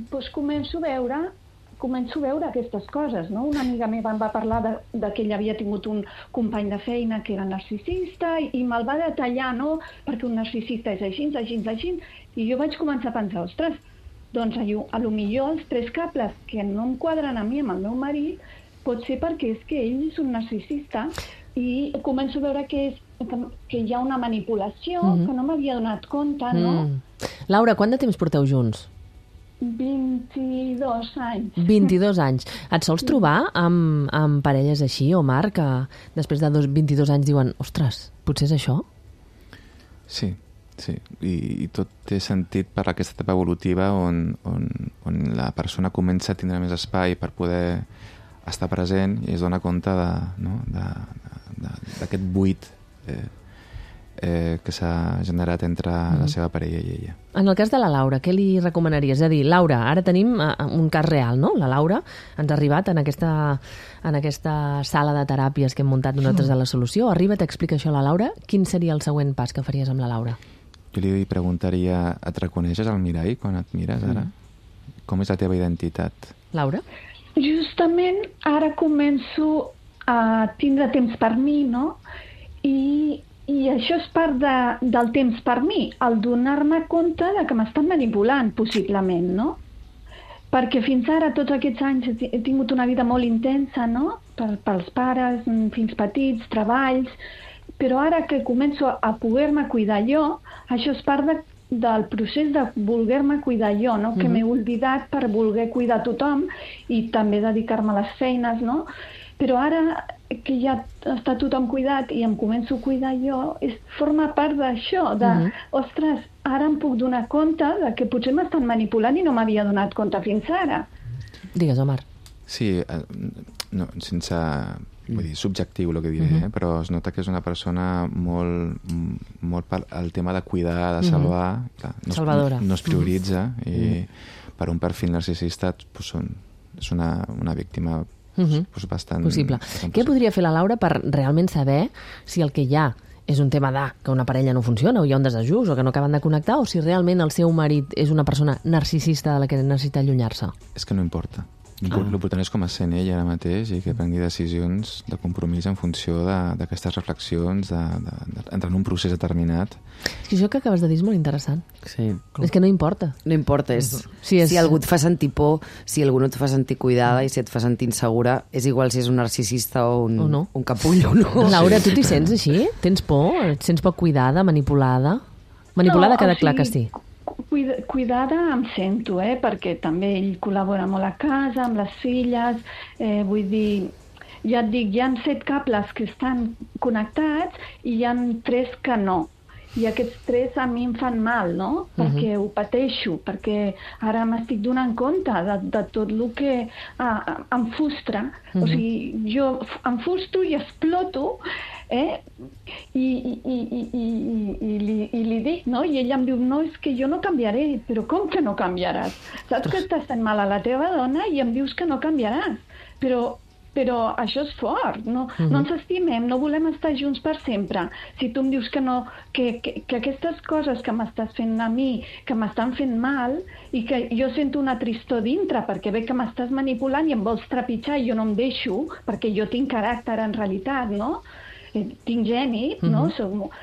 Speaker 10: doncs començo a veure aquestes coses, no? Una amiga meva em va parlar de que ella havia tingut un company de feina que era narcisista i me'l va detallar, no? Perquè un narcisista és així, i jo vaig començar a pensar, ostres, doncs a lo millor els 3 cables que no em quadren a mi amb el meu marit pot ser perquè és que ell és un narcisista i començo a veure que hi ha una manipulació, que no m'havia donat compte, no?
Speaker 1: Laura, quant de temps porteu junts?
Speaker 10: 22 anys.
Speaker 1: 22 anys. Et sols trobar amb parelles així, Omar, que després de 22 anys diuen, ostres, potser és això?
Speaker 6: Sí. I tot té sentit per aquesta etapa evolutiva on la persona comença a tindre més espai per poder estar present i es dona compte d'aquest buit que s'ha generat entre la seva parella i ella.
Speaker 1: En el cas de la Laura, què li recomanaries? És a dir, Laura, ara tenim un cas real, no? La Laura ens ha arribat en aquesta sala de teràpies que hem muntat nosaltres a La Solució. Arriba, t'explica això a la Laura. Quin seria el següent pas que faries amb la Laura?
Speaker 6: Jo li preguntaria, et reconeixes al mirall quan et mires ara? Com és la teva identitat?
Speaker 1: Laura?
Speaker 10: Justament ara començo a tindre temps per mi, no? I això és part del temps per mi, el donar-me compte de que m'estan manipulant, possiblement, no? Perquè fins ara, tots aquests anys, he tingut una vida molt intensa, no? Pels pares, fills petits, treballs, però ara que començo a poder-me cuidar jo, això és part del procés de voler-me cuidar jo, no? Que m'he oblidat per voler cuidar tothom i també dedicar-me a les feines, no? Però ara que ja està tothom cuidat i em començo a cuidar jo, forma part d'això, ostres, ara em puc donar compte de que potser m'estan manipulant i no m'havia donat compte fins ara.
Speaker 1: Digues, Omar.
Speaker 6: Sí, sense vull dir, subjectiu el que diré, però es nota que és una persona molt el tema de cuidar, de salvar,
Speaker 1: salvadora.
Speaker 6: No es prioritza i per un perfil narcisista és una víctima bastant...
Speaker 1: Possible. Què podria fer la Laura per realment saber si el que hi ha és un tema que una parella no funciona o hi ha un desajust o que no acaben de connectar o si realment el seu marit és una persona narcisista de la que necessita allunyar-se?
Speaker 6: És que no importa. L'important és com es sent ell ara mateix i que prengui decisions de compromís en funció d'aquestes reflexions, d'entrar en un procés determinat.
Speaker 1: És que això que acabes de dir és molt interessant.
Speaker 4: Sí.
Speaker 1: És que no importa.
Speaker 4: No importa, si algú et fa sentir por, si algú no et fa sentir cuidada i si et fa sentir insegura, és igual si és un narcisista o un capullo o no.
Speaker 1: Laura, tu t'hi sents així? Tens por? Et sents poc cuidada, manipulada? Manipulada queda clar que sí.
Speaker 10: Cuidada em sento, perquè també ell col·labora molt a casa, amb les filles, vull dir, ja et dic, hi ha 7 cables que estan connectats i hi ha 3 que no. I aquests 3 a mi em fan mal, no? Perquè ho pateixo, perquè ara m'estic donant compte de tot el que em frustra. O sigui, jo em frustro i exploto, i li dic, no? I ella em diu, no, és que jo no canviaré. Però com que no canviaràs? Saps que estàs fent mal a la teva dona i em dius que no canviaràs. Però això és fort, no ens estimem, no volem estar junts per sempre. Si tu em dius que no, que aquestes coses que m'estàs fent a mi, que m'estan fent mal, i que jo sento una tristor dintre, perquè ve que m'estàs manipulant i em vols trepitjar i jo no em deixo, perquè jo tinc caràcter en realitat, no? Tinc geni, no?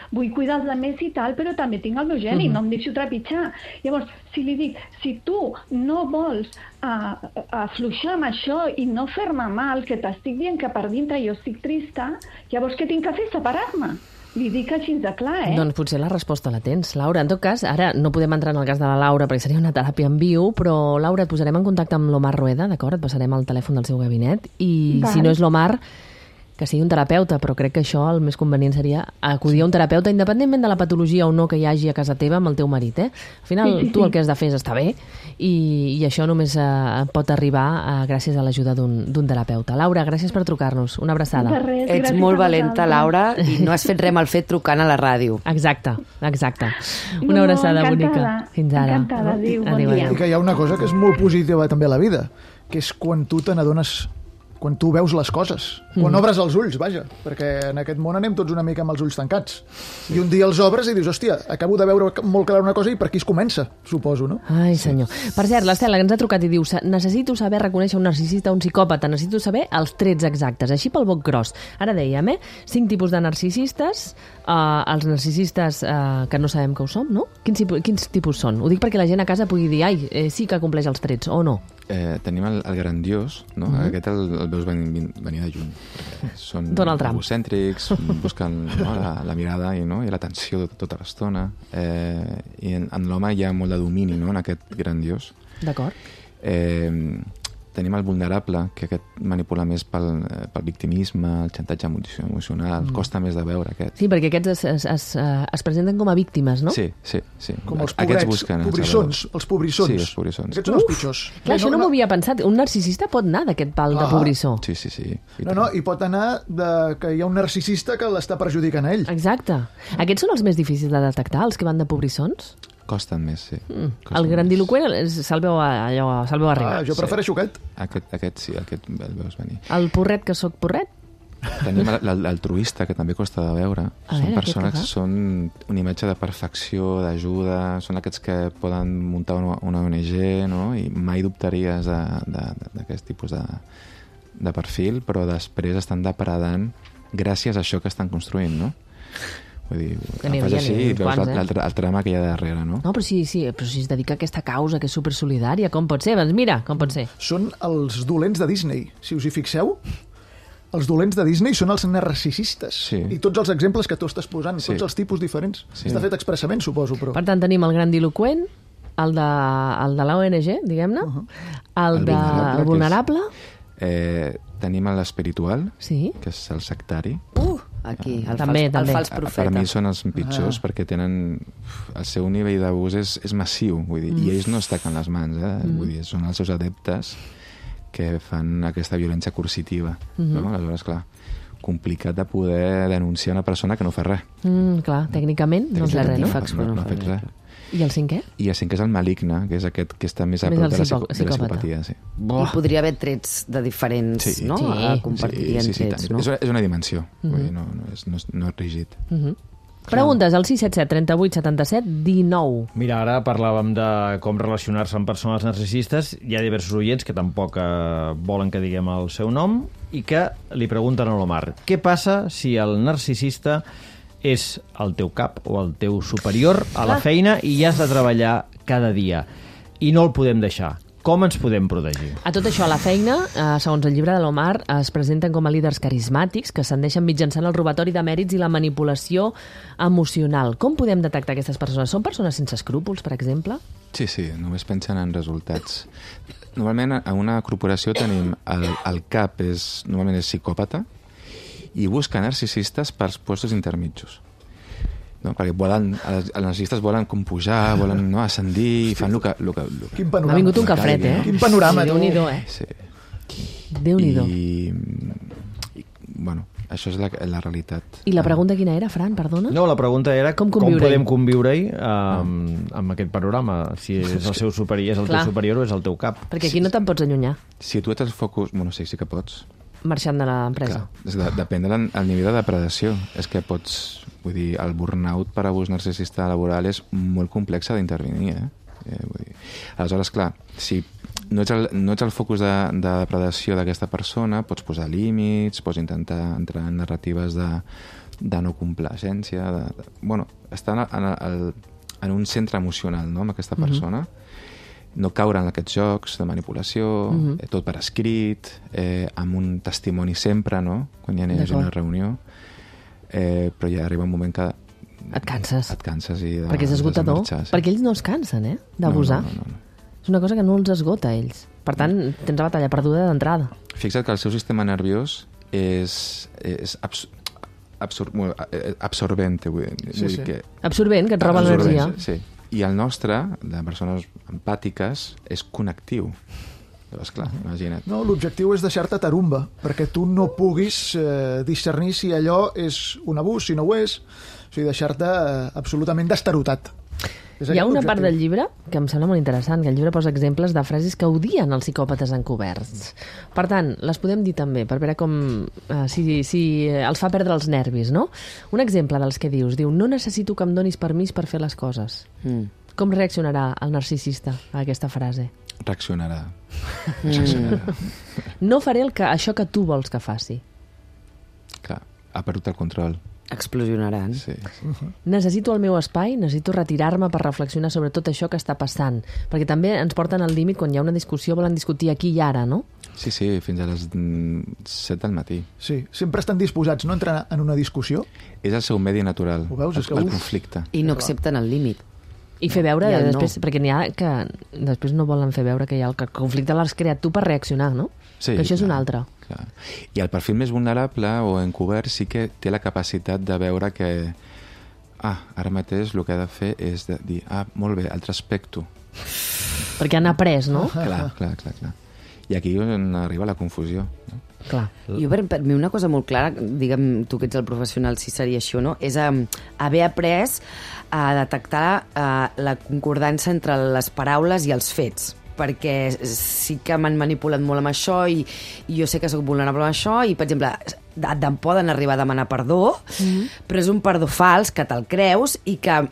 Speaker 10: Vull cuidar els altres i tal, però també tinc el meu geni, no em deixo trepitjar. Llavors, si li dic, si tu no vols afluixar amb això i no fer-me mal, que t'estic dient que per dintre jo estic trista, llavors què tinc que fer? Separar-me. Li dic així de clar,
Speaker 1: Doncs potser la resposta la tens, Laura. En tot cas, ara no podem entrar en el cas de la Laura perquè seria una teràpia en viu, però Laura, et posarem en contacte amb l'Omar Rueda, d'acord? Et passarem el telèfon del seu gabinet i si no és l'Omar, que sigui un terapeuta, però crec que això el més convenient seria acudir a un terapeuta independentment de la patologia o no que hi hagi a casa teva amb el teu marit, Al final, tu el que has de fer és estar bé i això només pot arribar gràcies a l'ajuda d'un terapeuta. Laura, gràcies per trucar-nos. Una abraçada.
Speaker 4: Ets molt valenta, Laura, i no has fet res mal fet trucant a la ràdio.
Speaker 1: Exacte. Una abraçada bonica. Fins ara.
Speaker 10: Encantada, adéu, bon dia.
Speaker 5: I que hi ha una cosa que és molt positiva també a la vida, que és quan tu te n'adones, quan tu veus les coses, quan obres els ulls, vaja, perquè en aquest món anem tots una mica amb els ulls tancats. I un dia els obres i dius, hòstia, acabo de veure molt clar una cosa i per aquí es comença, suposo, no?
Speaker 1: Ai, senyor. Per cert, l'Estela, que ens ha trucat i diu, necessito saber reconèixer un narcisista o un psicòpata, necessito saber els trets exactes, així pel boc gros. Ara dèiem, 5 tipus de narcisistes, els narcisistes que no sabem que ho som, no? Quins tipus són? Ho dic perquè la gent a casa pugui dir, sí que compleix els trets, o no?
Speaker 6: Tenim el grandiós, no? Aquest el veus venir de lluny. Són egocèntrics, busquen la mirada i l'atenció tota l'estona. I en l'home hi ha molt de domini, no?, en aquest grandiós.
Speaker 1: D'acord.
Speaker 6: Tenim el vulnerable, que aquest manipula més pel victimisme, el xantatge emocional, costa més de veure aquest.
Speaker 1: Sí, perquè aquests es presenten com a víctimes, no?
Speaker 6: Sí.
Speaker 5: Com els pobrets, els pobrissons.
Speaker 6: Sí, els pobrissons.
Speaker 5: Aquests són els pitjors.
Speaker 1: Clar, això no m'ho havia pensat. Un narcisista pot anar d'aquest pal de pobrissó.
Speaker 6: Sí.
Speaker 5: I pot anar que hi ha un narcisista que l'està perjudicant a ell.
Speaker 1: Exacte. Aquests són els més difícils de detectar, els que van de pobrissons?
Speaker 6: Costen més, sí.
Speaker 1: El grandiloqüent se'l veu arribar.
Speaker 5: Jo prefereixo aquest.
Speaker 6: Aquest sí, aquest el veus venir.
Speaker 1: El porret que sóc porret?
Speaker 6: Tenim l'altruista, que també costa de veure. Són persones que són una imatge de perfecció, d'ajuda, són aquests que poden muntar una ONG, no? I mai dubtaries d'aquest tipus de perfil, però després estan depredant gràcies a això que estan construint, no? Vull dir, fas així i veus el trama que hi ha darrere, no?
Speaker 1: No, però si es dedica a aquesta causa, que és supersolidària, com pot ser? Doncs mira, com pot ser.
Speaker 5: Són els dolents de Disney, si us hi fixeu. Els dolents de Disney són els narcisistes.
Speaker 6: Sí.
Speaker 5: I tots els exemples que tu estàs posant, tots els tipus diferents. Està fet expressament, suposo, però...
Speaker 1: Per tant, tenim el grandiloqüent, el de l'ONG, diguem-ne, el vulnerable...
Speaker 6: Tenim l'espiritual, que és el sectari.
Speaker 4: Aquí, el fals profeta.
Speaker 6: Per mi són els pitjors perquè tenen... El seu nivell d'abús és massiu, vull dir, i ells no es taquen les mans, vull dir, són els seus adeptes que fan aquesta violència coercitiva. No? Aleshores, clar, complicat de poder denunciar una persona que no fa res.
Speaker 1: Clar, tècnicament no és res, no?
Speaker 6: No ha fet res.
Speaker 1: I el cinquè?
Speaker 6: I el cinquè és el maligne, que és aquest que està més a prop de la psicopatia. Sí.
Speaker 4: I podria haver trets de diferents, no? Compartirien trets, no?
Speaker 6: És una dimensió, no és rígid.
Speaker 1: Preguntes al 677 38 77 19.
Speaker 3: Mira, ara parlàvem de com relacionar-se amb persones narcisistes. Hi ha diversos oients que tampoc volen que diguem el seu nom i que li pregunten a l'Omar: què passa si el narcisista és el teu cap o el teu superior a la feina i has de treballar cada dia i no el podem deixar? Com ens podem protegir?
Speaker 1: A tot això, a la feina, segons el llibre de l'Omar, es presenten com a líders carismàtics que s'endeixen mitjançant el robatori de mèrits i la manipulació emocional. Com podem detectar aquestes persones? Són persones sense escrúpols, per exemple?
Speaker 6: Sí, només pensen en resultats. Normalment, a una corporació tenim el cap, normalment és psicòpata, i busca narcisistes per postos intermitjos. No? Perquè els narcisistes volen com pujar, volen ascendir, fan el que...
Speaker 5: Quin panorama.
Speaker 1: Ha vingut un cafret,
Speaker 5: Quin panorama.
Speaker 1: Déu-n'hi-do,
Speaker 6: Sí.
Speaker 1: Déu-n'hi-do.
Speaker 6: I bueno, això és la realitat.
Speaker 1: I la pregunta quina era, Fran, perdona?
Speaker 3: No, la pregunta era com podem conviure-hi amb aquest panorama, si és el seu superior, és el teu superior o és el teu cap.
Speaker 1: Perquè aquí no te'n pots allunyar.
Speaker 6: Si tu ets el focus... Bueno, sí que pots.
Speaker 1: Marxant de l'empresa.
Speaker 6: Depèn del nivell de depredació. És que pots... Vull dir, el burnout per abús narcisista laboral és molt complex d'intervenir, vull dir. Aleshores, clar, si no ets el focus de depredació d'aquesta persona, pots posar límits, pots intentar entrar en narratives de no complacència, bueno, estar en un centre emocional, no?, amb aquesta persona, no caure en aquests jocs de manipulació, tot per escrit, amb un testimoni sempre, no?, quan hi ha una reunió, però ja arriba un moment que
Speaker 1: et canses
Speaker 6: i
Speaker 1: perquè és esgotador, perquè ells no es cansen d'abusar.
Speaker 6: No.
Speaker 1: És una cosa que no els esgota a ells, per tant tens la batalla perduda d'entrada.
Speaker 6: Fixa't que el seu sistema nerviós és absorbent, vull dir que...
Speaker 1: Absorbent, que et roba l'energia.
Speaker 6: Sí. I el nostre, de persones empàtiques, és connectiu. Llavors, clar, imagina't.
Speaker 5: No, l'objectiu és deixar-te tarumba, perquè tu no puguis discernir si allò és un abús, si no ho és, o sigui, deixar-te absolutament destarotat.
Speaker 1: Hi ha una part del llibre que em sembla molt interessant, que el llibre posa exemples de frases que odien els psicòpates encoberts. Per tant, les podem dir també, per veure com si els fa perdre els nervis, no? Un exemple dels que dius, diu: no necessito que em donis permís per fer les coses. Com reaccionarà el narcisista a aquesta frase?
Speaker 6: Reaccionarà.
Speaker 1: No faré això que tu vols que faci.
Speaker 6: Clar, ha perdut el control.
Speaker 4: Explosionaran.
Speaker 6: Sí.
Speaker 1: Necessito el meu espai, necessito retirar-me per reflexionar sobre tot això que està passant. Perquè també ens porten al límit quan hi ha una discussió, volen discutir aquí i ara, no?
Speaker 6: Sí, fins a les 7 del matí.
Speaker 5: Sí, sempre estan disposats, no, a entrar en una discussió.
Speaker 6: És el seu medi natural, el conflicte.
Speaker 4: I no accepten el límit.
Speaker 1: I fer veure després, perquè n'hi ha que després no volen fer veure que hi ha el conflicte l'has creat tu per reaccionar, no?
Speaker 6: Sí,
Speaker 1: que això és un altre.
Speaker 6: Clar. I el perfil més vulnerable o encobert sí que té la capacitat de veure que ara mateix el que ha de fer és de dir, molt bé, el respecto.
Speaker 1: Perquè han après, no?
Speaker 6: Clar. I aquí on arriba la confusió, no?
Speaker 1: Clar.
Speaker 4: Jo, per mi, una cosa molt clara, digue'm tu que ets el professional, si seria això, no?, és haver après a detectar la concordança entre les paraules i els fets, perquè sí que m'han manipulat molt amb això i jo sé que sóc vulnerable amb això i, per exemple, poden arribar a demanar perdó, però és un perdó fals que te'l creus i que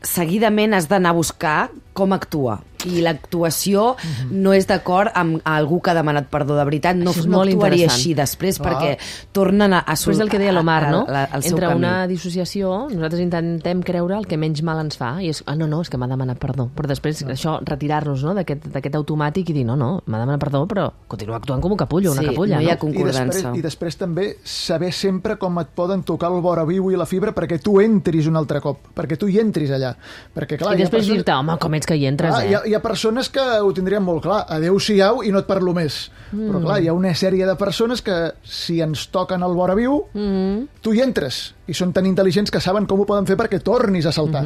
Speaker 4: seguidament has d'anar a buscar com actua. I l'actuació no és d'acord amb algú que ha demanat perdó de veritat, no actuaria així després perquè tornen a
Speaker 1: Però és el que deia l'Omar, no? Entre una dissociació, nosaltres intentem creure el que menys mal ens fa i és, no, és que m'ha demanat perdó, però després això, retirar-nos, no?, d'aquest automàtic i dir, no, m'ha demanat perdó, però continua actuant com un capullo, una capulla,
Speaker 4: no hi ha concordança.
Speaker 5: I després també saber sempre com et poden tocar el vora viu i la fibra perquè tu entris un altre cop, perquè tu hi entris allà. Perquè, clar,
Speaker 1: i després dir-te, home, com ets que hi entres,
Speaker 5: Hi ha persones que ho tindrien molt clar, adeu-siau i no et parlo més. Però clar, hi ha una sèrie de persones que si ens toquen el vora viu, tu hi entres. I són tan intel·ligents que saben com ho poden fer perquè tornis a saltar.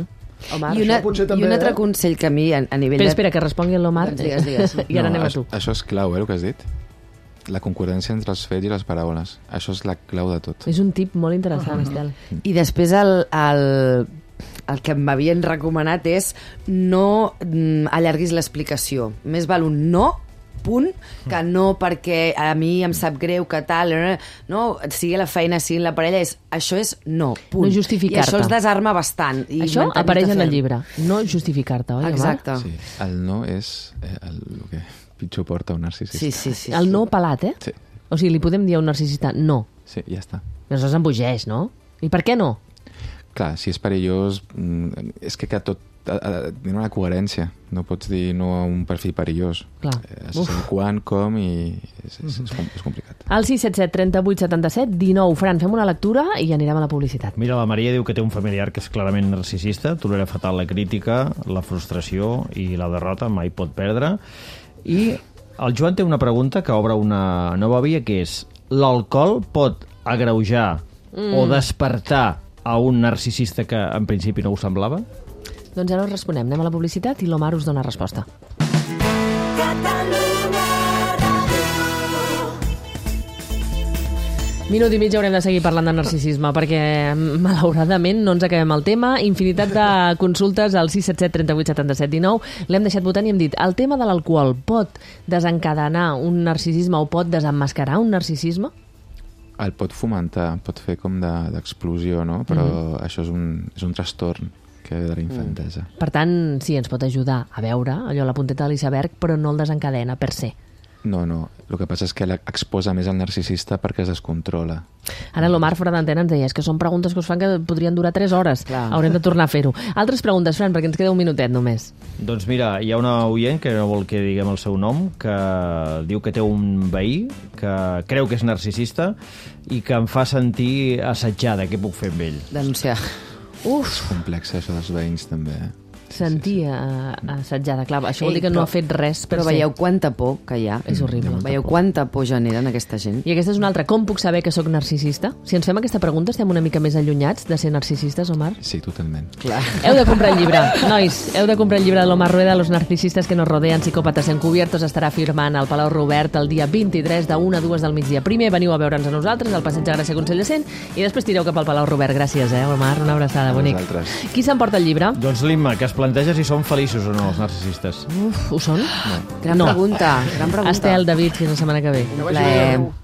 Speaker 1: Omar,
Speaker 4: I un altre consell que a mi a nivell
Speaker 1: Espera, que respongui l'Omar.
Speaker 4: Digues.
Speaker 1: I ara anem a tu.
Speaker 6: Això és clau, el que has dit. la concordància entre els fets i les paraules. Això és la clau de tot.
Speaker 1: És un tip molt interessant, Estel.
Speaker 4: I després el que m'havien recomanat és no allarguis l'explicació. Més val un no, punt, que no perquè a mi em sap greu que tal, no, sigui la feina, sigui la parella, això és no, punt.
Speaker 1: No justificar-te.
Speaker 4: I això els desarma bastant. I
Speaker 1: això apareix en el llibre, no justificar-te, oi?
Speaker 4: Exacte.
Speaker 6: Sí, el no és el que pitjor porta un narcisista.
Speaker 4: Sí.
Speaker 1: El no pelat, eh?
Speaker 6: Sí.
Speaker 1: O sigui, li podem dir a un narcisista no.
Speaker 6: Sí, ja està.
Speaker 1: Aleshores embogeix, no? I per què no?
Speaker 6: Clar, si és perillós, és que tot tiene una coherència. No pots dir no a un perfil perillós.
Speaker 1: Clar.
Speaker 6: Has de saber quan, com, i és complicat.
Speaker 1: Al 677 38 77 19. Fran, fem una lectura i anirem a la publicitat.
Speaker 3: Mira, la Maria diu que té un familiar que és clarament narcisista, tolera fatal la crítica, la frustració i la derrota, mai pot perdre. I el Joan té una pregunta que obre una nova via, que és: l'alcohol pot agreujar o despertar a un narcisista que en principi no ho semblava?
Speaker 1: Doncs ara us responem. Anem a la publicitat i l'Omar us dona resposta. Minut i mig haurem de seguir parlant de narcisisme perquè, malauradament, no ens acabem el tema. Infinitat de consultes al 677 38 77 19. L'hem deixat votant i hem dit: el tema de l'alcohol pot desencadenar un narcisisme o pot desemmascarar un narcisisme?
Speaker 6: El pot fomentar, pot fer com d'explosió, no? Però això és un trastorn que ve de la infantesa.
Speaker 1: Per tant, sí, ens pot ajudar a veure allò, la punteta de l'iceberg, però no el desencadena per se.
Speaker 6: No. El que passa és que exposa més el narcisista perquè es descontrola.
Speaker 1: Ara l'Omar fora d'antena ens deia: és que són preguntes que us fan que podrien durar 3 hores. Clar. Haurem de tornar a fer-ho. Altres preguntes, Fran, perquè ens queda un minutet només.
Speaker 3: Doncs mira, hi ha una oient que no vol que diguem el seu nom, que diu que té un veí que creu que és narcisista i que em fa sentir assetjada. Què puc fer amb ell?
Speaker 4: Denunciar.
Speaker 6: És complex, això dels veïns, també.
Speaker 1: Sentir assetjada. Clar, això vol dir que no ha fet res.
Speaker 4: Però veieu quanta por que hi ha.
Speaker 1: És horrible.
Speaker 4: Veieu quanta por generen aquesta gent.
Speaker 1: I aquesta és una altra. Com puc saber que sóc narcisista? Si ens fem aquesta pregunta, estem una mica més allunyats de ser narcisistes, Omar?
Speaker 6: Sí, totalment.
Speaker 4: Clar.
Speaker 1: Heu de comprar el llibre. Nois, heu de comprar el llibre de l'Omar Rueda, Los narcisistas que nos rodean, psicòpatas encubiertos. Estarà firmant al Palau Robert el dia 23 de 1 a 2 del migdia. Primer veniu a veure'ns a nosaltres, al Passeig de Gràcia Consell de Cent, i després tireu cap al Palau Robert. Gràcies, Omar. Una abraçada, bonic. Qui s'emporta el llibre?
Speaker 3: Doncs l'Imma, que es planteja si són feliços o no els narcisistes.
Speaker 1: Ho són?
Speaker 4: Gran pregunta.
Speaker 1: Estel, David, fins la setmana que ve.
Speaker 5: Que vagi bé.